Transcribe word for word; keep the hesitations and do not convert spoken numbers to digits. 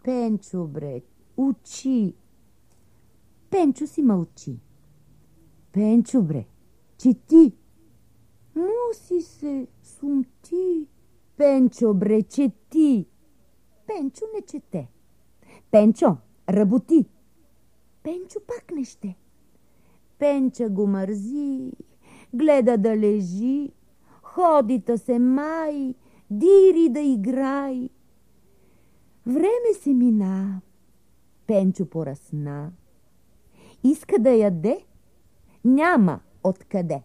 Пенчо, бре, учи. Пенчо си мълчи. Пенчо, бре, чети. Муси се, сумти. Пенчо, бре, чети. Пенчо не чете. Пенчо, работи. Пенчо пак не ще. Пенча го мързи, гледа да лежи, ходи-та се май, дири да играй. Време се мина, Пенчо поръсна. Иска да яде, няма откъде.